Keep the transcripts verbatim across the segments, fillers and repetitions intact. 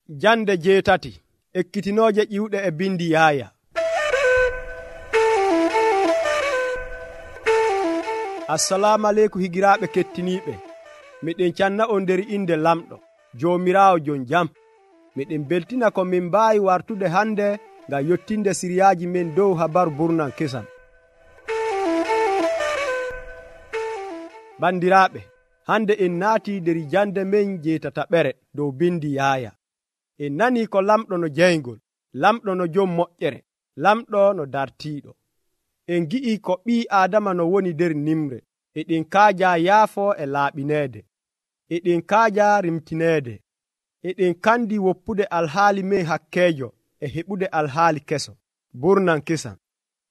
Jande jeetati ekkitinooje ƴiwɗe e bindi Yaaya. Assalamu aleykum higiraaɓe kettiniiɓe. Miɗen canna on nder inde lamɗo Joomiraawo jon jam. Miɗen beltina ko min mbaawi wartude hande ngam yottinde siriyaaji men dow habaru burnan kesan. Bandiraaɓe, hande en naatii nder jande men jeetataɓere dow bindi Yaaya. En nanii ko lamɗo no jeyngol, lamɗo no jom moƴƴere, lamɗo no dartiiɗo. En gi'i ko ɓii Aadama no woni nder nimre, eɗen kaaja yaafo e laaɓineede, eɗen kaaja rimtineede, eɗen kandi woppude alhaali men hakkeejo e heɓude alhaali keso, burnan kesan.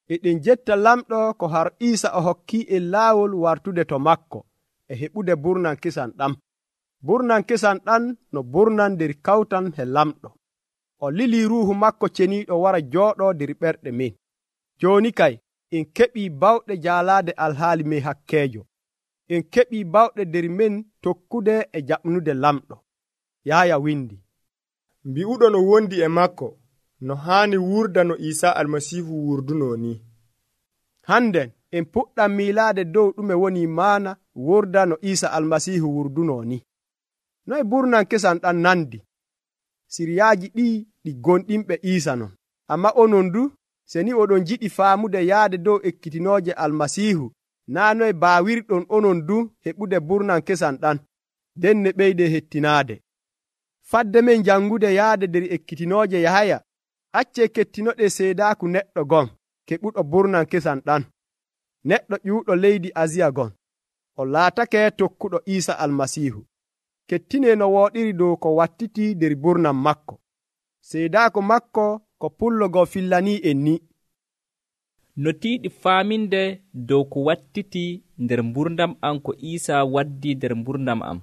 Eɗen jetta lamɗo ko har Iisa o hokkii en laawol wartude to makko e heɓude burnan kesan ɗam. Burnan kesan ɗan no burnan nder kawtan he lamɗo. O lilii ruuhu makko ceniiɗo wara jooɗoo nder ɓerɗe men. Jooni kay en keɓii bawɗe jaalaade alhaali men hakkeejo. En keɓii bawɗe nder men tokkude e jaɓnude lamɗo. Yaaya windi: mbi'uɗo no wondi e makko no haani wurda no Iisaa Almasiihu wurdunoo ni. Handen en puɗɗam miilaade dow ɗume woni maana wurda no Iisaa Almasiihu wurdunoo ni. Noye burnan kesan ɗan nandi? Siriyaaji ɗii ɗi gonɗinɓe Iisa non. Amma onon du, se ni oɗon jiɗi faamude yaade dow ekkitinooje Almasiihu, naa noye baawirɗon onon du heɓude burnan kesan ɗan, nden ne ɓeyde hettinaade. Fadde men jangude yaade nder ekkitinooje Yahaya, acce kettinoɗe seedaaku neɗɗo gon keɓuɗo burnan kesan ɗan. Neɗɗo ƴuuɗo leydi Asiya gon, o laatake tokkuɗo Iisa Almasiihu. Kettine no wooɗiri dow ko wattiti nder burnan makko. Seedaaku makko ko pullo ngo fillanii en ni. No tiiɗi faaminde dow ko wattiti nder mburdam am ko Iisa waddi nder mburdam am,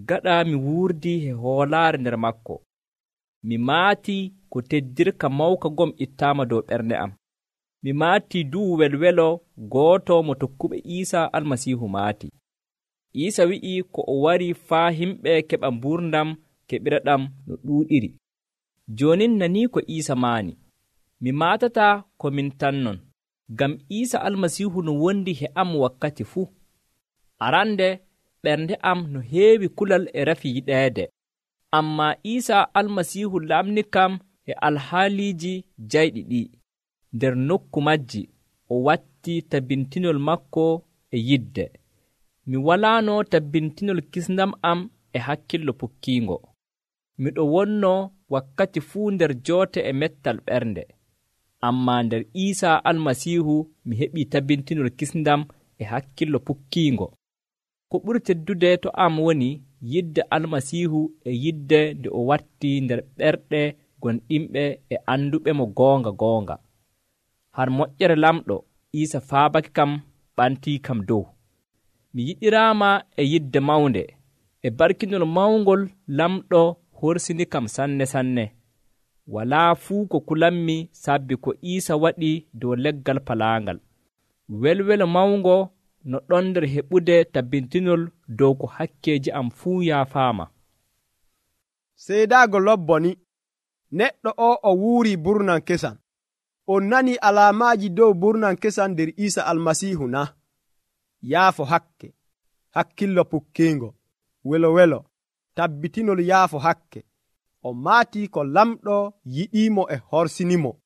gaɗa mi wuurdi e hoolaare nder makko. Mi maatii ko teddirka mawka ngom ittaama dow ɓernde am. Mi maatii duu welwelo gooto mo tokkuɓe Iisa Almasiihu maati. Iisa wi'i ko o wari faa himɓe keɓa mburdam keɓira ɗam no ɗuuɗiri. Joonin nanii ko Iisa maani. Mi maatataa ko min tan non, ngam Iisa Almasiihu no wondi he am wakkati fuu. Arande ɓernde am no heewi kulal e rafi yiɗeede. Ammaa Iisa Almasiihu lamni kam e alhaaliiji jayɗi ɗi. Nder nokku majji o watti tabbintinol makko e yidde. Mi walaano tabbintinol kisndam am e hakkillo pukkiingo. Miɗo wonno wakkati fuu nder joote e mettal ɓernde. Ammaa nder Iisa Almasiihu mi heɓii tabbintinol kisndam e hakkillo pukkiingo. Ko ɓuri teddude to am woni yidde Almasiihu e yidde nde o watti nder ɓerɗe gonɗinɓe e anduɓe mo goonga goonga. Har moƴƴere lamɗo Iisa faabake kam ɓantii kam dow. Mi yiɗiraama e yidde mawnde, e barkinol mawngol lamɗo horsini kam sanne sanne. Walaa fuu ko kulanmi sabbi ko Iisa waɗi dow leggal palaangal. Welwelo mawngo no ɗon nder heɓude tabbintinol dow ko hakkeeji am fuu yaafaama. Seedaago lobboni, neɗɗo o o wuuri burnan kesan. On nanii alaamaaji dow burnan kesan nder Iisa Almasiihu na? Yaafo hakke, hakkillo pukkiingo, welo welo, tabbitinol yaafo hakke. O maatii ko lamɗo yiɗiimo e horsinimo.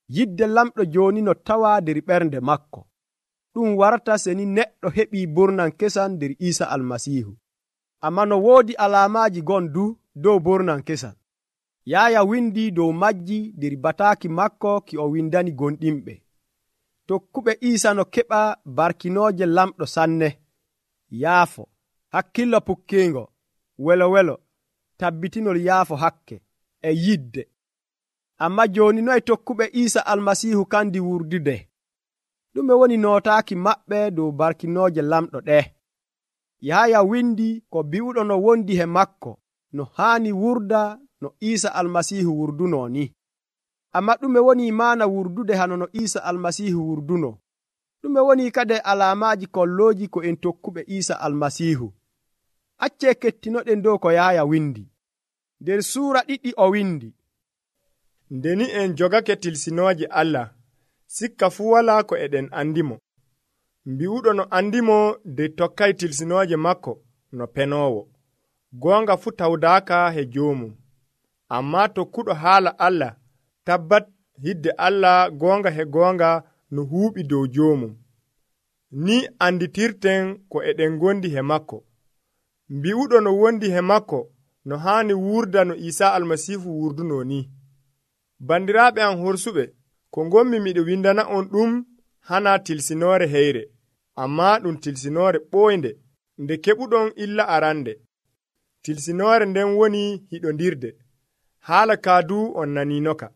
Yidde lamɗo jooni no tawaa nder ɓernde makko. Ɗum warata seni neɗɗo heɓii burnan kesan nder Iisa Almasiihu. Ammaa no woodi alaamaaji gon du dow burnan kesan. Yaaya windi dow majji nder bataaki makko ki o windani gonɗinɓe. Tokkuɓe Iisa no keɓa barkinooje lamɗo sanne, yaafo, hakkillo pukkiingo, welo welo, tabbitinol yaafo hakke, e yidde. Amma jooni noye tokkuɓe Iisa Almasiihu kandi wurdude? Ɗume woni nootaaki maɓɓe dow barkinooje lamɗo ɗe? Yaaya windi ko bi'uɗo no wondi he makko no haani wurda no Iisa Almasiihu wurdunoo ni. Amma ɗume woni maana wurdude hano no Iisa Almasiihu wurdunoo? Ɗume woni kade alaamaaji kollooji ko en tokkuɓe Iisa Almasiihu? Acce kettinoɗen dow ko Yaaya windi. nder suura ɗiɗi o windi, ndeni en jogake tilsinooje Allah, sikka fuu walaa ko eɗen andimo. Mbi'uɗo no andimo de tokkay tilsinooje makko no penoowo. Goonga fuu tawdaaka he joomum. Ammaa tokkuɗo haala Allah tabbat hidde Allah goonga he goonga no huuɓi dow joomum. Ni anditirten ko eɗen gondi he makko. Mbi'uɗo no wondi he makko no haani wurda no Iisaa Almasiihu wurduno ni. Bandiraaɓe am horsuɓe, ko ngommi miɗo windana on ɗum hana tilsinoore heyre, ammaa ɗum tilsinoore ɓooynde nde keɓuɗon illa arande. Tilsinoore nden woni hiɗondirde. Haala kaadu on naninoka.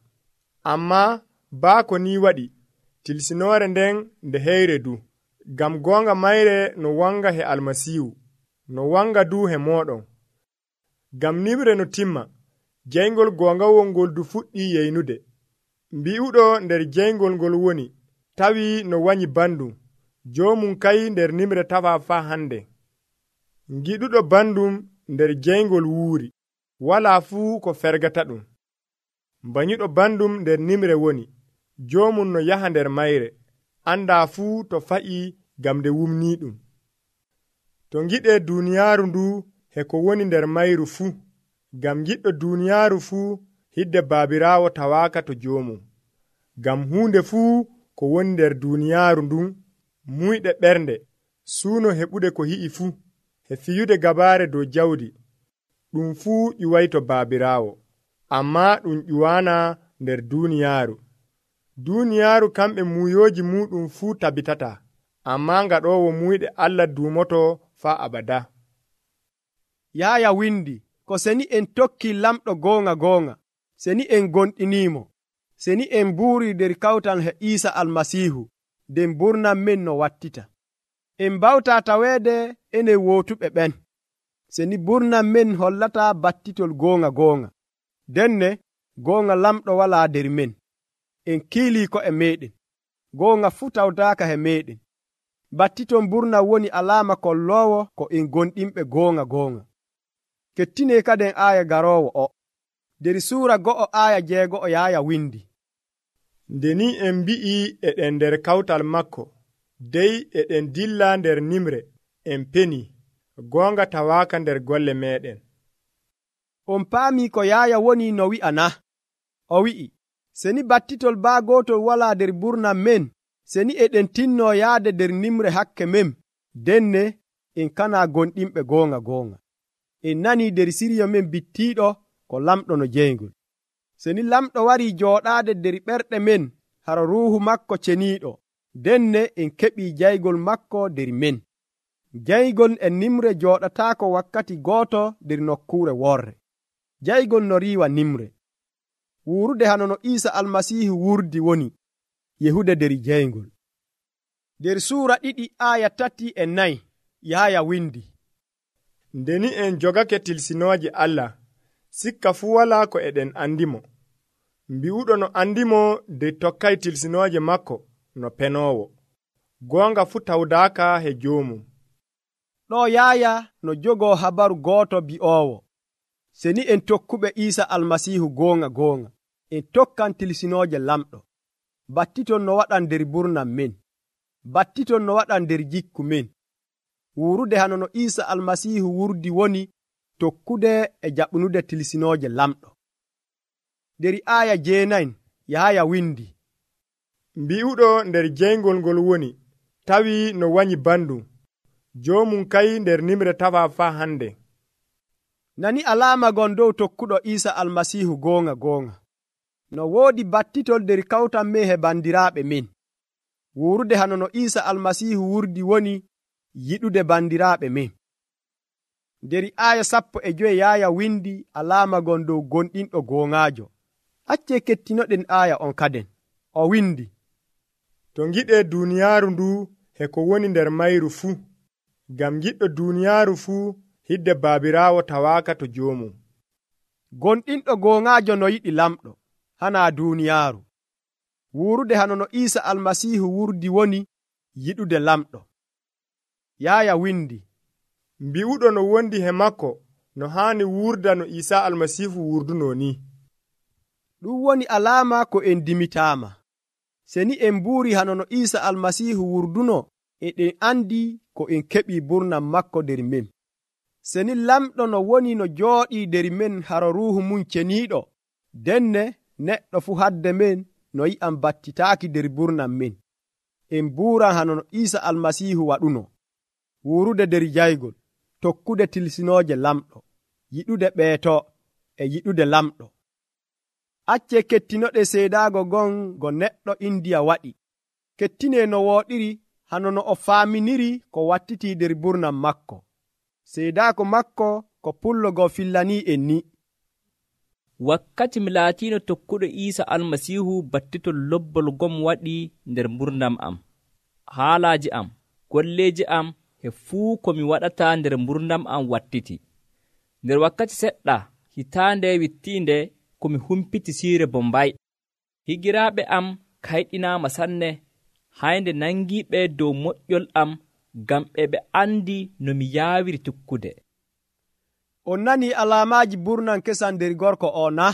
Ammaa baa ko ni waɗi, tilsinoore nden nde heyre du, ngam goonga mayre no wanga he Almasiihu, no wanga du he mooɗon. Ngam nimre no timma, jeyngol goongawol ngol du fuɗɗi yeynude. Mbi'uɗo nder jeyngol ngol woni, tawi no wanyi bandum, joomum kay nder nimre tawa faa hande. Ngiɗuɗo bandum nder jeyngol wuuri, walaa fuu ko fergata ɗum. Mbañuɗo bandum nder nimre woni, joomum no yaha nder mayre, andaa fuu to fa'i gam nde wumnii ɗum. To ngiɗee duuniyaaru ndu he ko woni nder mayru fuu, gam giɗɗo duuniyaaru fuu hidde baabiraawo tawaaka to joomum. Gam huunde fuu ko woni nder duuniyaaru ndun, muyɗe ɓernde, suuno heɓude ko hi'i fuu, he fiyude gabaare dow jawdi, ɗum fuu ƴuway to baabiraawo, ammaa ɗum ƴuwaana nder duuniyaaru. Duuniyaaru kamɓe muyooji muɗum fuu tabitata, ammaa ngaɗoowo muyɗe Allah duumoto faa abada. Yaaya windi, ko seni en tokki lamɗo goonga goonga, seni en gonɗiniimo, seni en mbuuri nder kawtal he Iisa Almasiihu, nden burnam men no wattita. En mbawtaa taweede enen wootuɓe ɓen, seni burnam men hollata battitol goonga goonga. Denne goonga lamɗo walaa nder men. En kiilii ko e meeɗen, goonga fuu tawdaaka he meeɗen. Battiton burnam woni alaama kolloowo ko en gonɗinɓe goonga goonga. Kettinee kaden aaya garoowo o. Nder suura go'o aaya jeego'o yaaya windi, ndeni en mbi'i eɗen nder kawtal makko, dey eɗen dilla nder nimre, en peni, goonga tawaaka nder golle meɗen. On paamii ko yaaya woni no wi'a na? O wi'i, seni battitol baa gootol walaa nder burnam men, seni eɗen tinnoo yaade nder nimre hakke men, denne en kanaa gonɗinɓe goonga goonga. En nanii nder siryo men bittiiɗo ko lamɗo no jeyngol. Seni lamɗo warii jooɗaade nder ɓerɗe men haro ruuhu makko ceniiɗo, denne en keɓii jaygol makko nder men. Jaygol e nimre jooɗataako wakkati gooto nder nokkuure worre. Jaygol no riiwa nimre. Wuurude hano no Iisa Almasiihu wurdi woni yehude nder jeyngol. Nder suura ɗiɗi aaya tati e nayi yaaya windi, ndeni en jogake tilsinooje Allah, sikka fuu walaa ko eɗen andimo. Mbi'uɗo no andimo de tokkay tilsinooje makko no penoowo. Goonga fuu tawdaaka he joomum. Ɗo yaaya no jogoo habaru gooto bi'oowo, seni en tokkuɓe Iisa Almasiihu goonga goonga, en tokkan tilsinooje lamɗo. Battiton no waɗan nder burnam men, battiton no waɗan nder jikku men. Wuurude hano no Iisa Almasiihu wurdi woni tokkude e jaɓnude tilsinooje lamɗo. Nder aaya jeenayi yaaya windi, mbi'uɗo nder jeyngol ngol woni, tawi no wanyi bandum, joomum kay nder nimre tawa faa hande. Nani alaama gon dow tokkuɗo Iisa Almasiihu goonga goonga. No woodi battitol nder kawtal men he bandiraaɓe men. Wuurude hano no Iisa Almasiihu wurdi woni yiɗude bandiraaɓe men. Nder aaya sappo e joyi yaaya windi alaama gon dow gonɗinɗo goongaajo. Accee kettinoɗen aaya on kaden. O windi, to ngiɗee duuniyaaru ndu he ko woni nder mayru fuu, ngam giɗɗo duuniyaaru fuu hidde baabiraawo tawaaka to joomum. Gonɗinɗo goongaajo no yiɗi lamɗo, hanaa duuniyaaru. Wuurude hano no Iisa Almasiihu wurdi woni yiɗude lamɗo. Yaaya windi, mbi'uɗo no wondi he makko no haani wurda no Iisaa Almasiihu wurduno ni. ɗum woni alaama ko en dimitaama. Seni en mbuuri hano no Iisa Almasiihu wurduno, e ɗen andi ko en keɓi burnam makko nder men. Seni lamɗo no woni no jooɗii nder men haro ruuhu mum ceniiɗo, denne neɗɗo fuu hadde men no yi'an battitaaki nder burnam men. En mbuuran hano no Iisa Almasiihu waɗuno: wurude nder jaygol, tokkude tilsinooje lamɗo, yiɗude ɓeeto e yiɗude lamɗo. Acce kettinoɗe seedaago gon go neɗɗo Indiya waɗi. Kettine no wooɗiri hano no o faaminiri ko wattitii nder burnam makko. Seedaako makko ko pullo go fillanii en ni. Wakkati mi laatiino tokkuɗo Iisa Almasiihu battitol lobbol gom waɗi nder mburnam am. Haalaaji am, golleeji am, e fuu ko mi waɗata nder mburnam am wattiti. Nder wakkati seɗɗa hitaande wittiinde ko mi humpiti siire Bombay. Higiraaɓe am kayɗinaama sanne, haynde nangiiɓe dow moƴƴol am ngam ɓe ɓe andi no mi yaawiri tukkude. On nani alaamaaji burnan kesan nder gorko o na?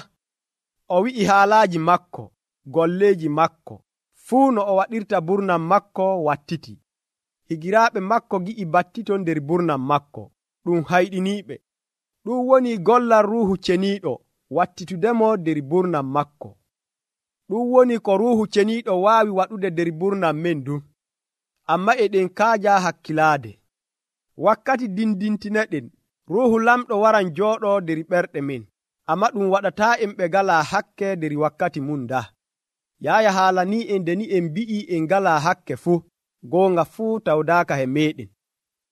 O wi'i haalaaji makko, golleeji makko, fuu no o waɗirta burnam makko wattiti. Higiraaɓe makko gi'i battiton nder burnam makko, ɗum hayɗiniiɓe. Ɗum woni gollal ruuhu ceniiɗo wattitudemo nder burnam makko. Ɗum woni ko ruuhu ceniiɗo waawi waɗude nder burnam men du. Amma eɗen kaaja hakkilaade. Wakkati dindintineɗen, ruuhu lamɗo waran jooɗo nder ɓerɗe men, amma ɗum waɗataa en ɓe ngalaa hakke nder wakkati mum da. Yaaya haala ni en nde ni en mbi'i en ngalaa hakke fuu, goonga fuu tawdaaka he meɗen.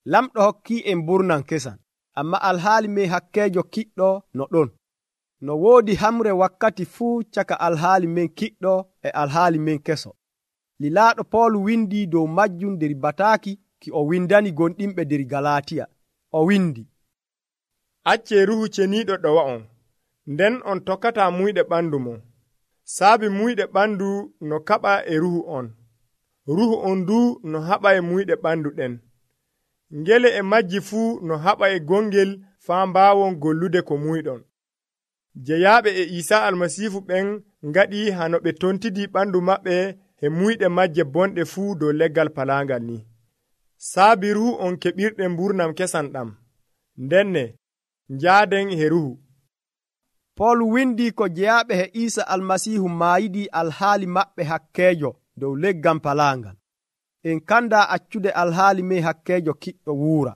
Lamɗo hokkii en burnan kesan, amma alhaali men hakkeejo kiɗɗo no ɗon. No woodi hamre wakkati fuu caka alhaali men kiɗɗo e alhaali men keso. Lilaaɗo Pool windi dow majjum nder bataaki ki o windani gonɗinɓe nder Galatiya. O windi: Acce ruuhu ceniiɗo ɗowa'on, nden on tokkata muyɗe ɓandu mon. Saabi muyɗe ɓandu no kaɓa e ruuhu on. Ruuhu on du no haɓa e muyɗe ɓandu ɗen. Ngele e majji fuu no haɓa e gongel faa mbaawon gollude ko muyɗon. Jeyaaɓe e Iisaa Almasiihu ɓen ngaɗi hano ɓe tontidi ɓandu maɓɓe e muyɗe majje bonɗe fuu dow leggal palaangal ni. Saabi ruuhu on keɓirɗen mburnam kesan ɗam. Ndenne njaaden he ruuhu. Pool windi ko jeyaaɓe he Iisa Almasiihu maayidi alhaali maɓɓe hakkeejo dow leggal palaangal. En kanda accude alhaali men hakkeejo kiɗɗo wuura.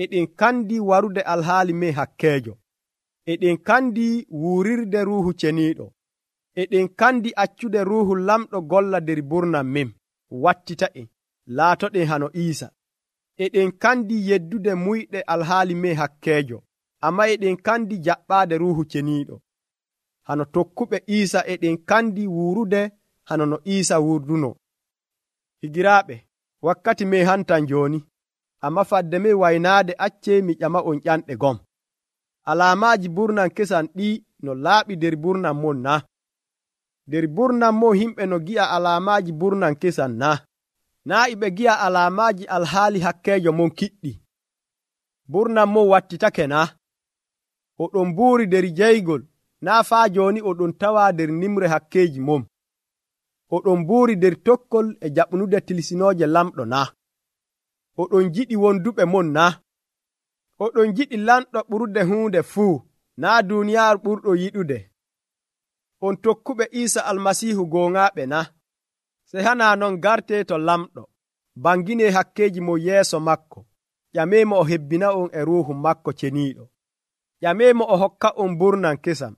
Eɗen kandi warude alhaali men hakkeejo. Eɗen kandi wuurirde ruuhu ceniiɗo. Eɗen kandi accude ruuhu lamɗo golla nder burnam men, wattita en, laatoɗen hano Iisa. Eɗen kandi yeddude muyɗe alhaali men hakkeejo, amma eɗen kandi jaɓɓaade ruuhu ceniiɗo. Hano tokkuɓe Iisa eɗen kandi wuurude hano no Iisa wurduno. Higiraaɓe, wakkati men hantan jooni, amma fadde men waynaade acce mi ƴama on ƴanɗe gom. Alaamaaji burnan kesan ɗi no laaɓi nder burnam mon na? Nder burnam mon himɓe no gi'a alaamaaji burnan kesan na? Naa iɓe gi'a alaamaaji alhaali hakkeejo mon kiɗɗi. Burnam mon wattitake na? Oɗon mbuuri nder jeygol, naa faa jooni oɗon tawa nder nimre hakkeeji mon. Oɗon mbuuri nder tokkol e jaɓnude tilsinooje lamɗo na? Oɗon jiɗi wonduɓe mon na? Oɗon jiɗi lanɗo ɓurde huunde fuu, naa duuniyaaru ɓurɗo yiɗude. On tokkuɓe Iisa Almasiihu gooŋaaɓe na? Sey hanaa non garte to lamɗo, bangine hakkeeji mo yeeso makko, ƴameemo o hebbina on e ruuhu makko ceniiɗo. Ƴameemo o hokka on burnan kesam.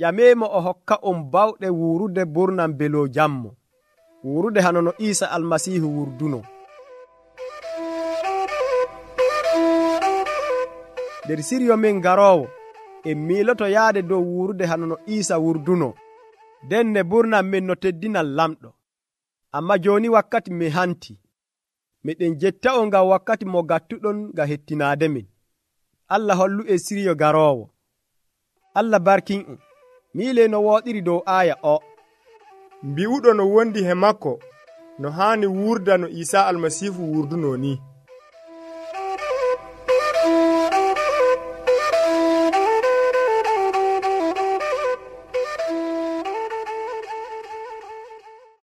Ƴameemo o hokka on bawɗe wuurude burnam belo jammo, wuurude hano no Iisa Almasiihu wurduno. Nder siryo men garoowo, en miiloto yaade dow wuurude hano no Iisa wurduno, denne burnam men no teddinal lamɗo. Amma jooni wakkati men hanti. Meɗen jetta on ngam wakkati mo gattuɗon ngam hettinaade men. Allah hollu e siryo garoowo. Allah barkin on. Miile no wooɗiri dow aaya o. Mbi'uɗo no wondi he makko, no haani wurda no Iisaa Almasiihu wurduno ni.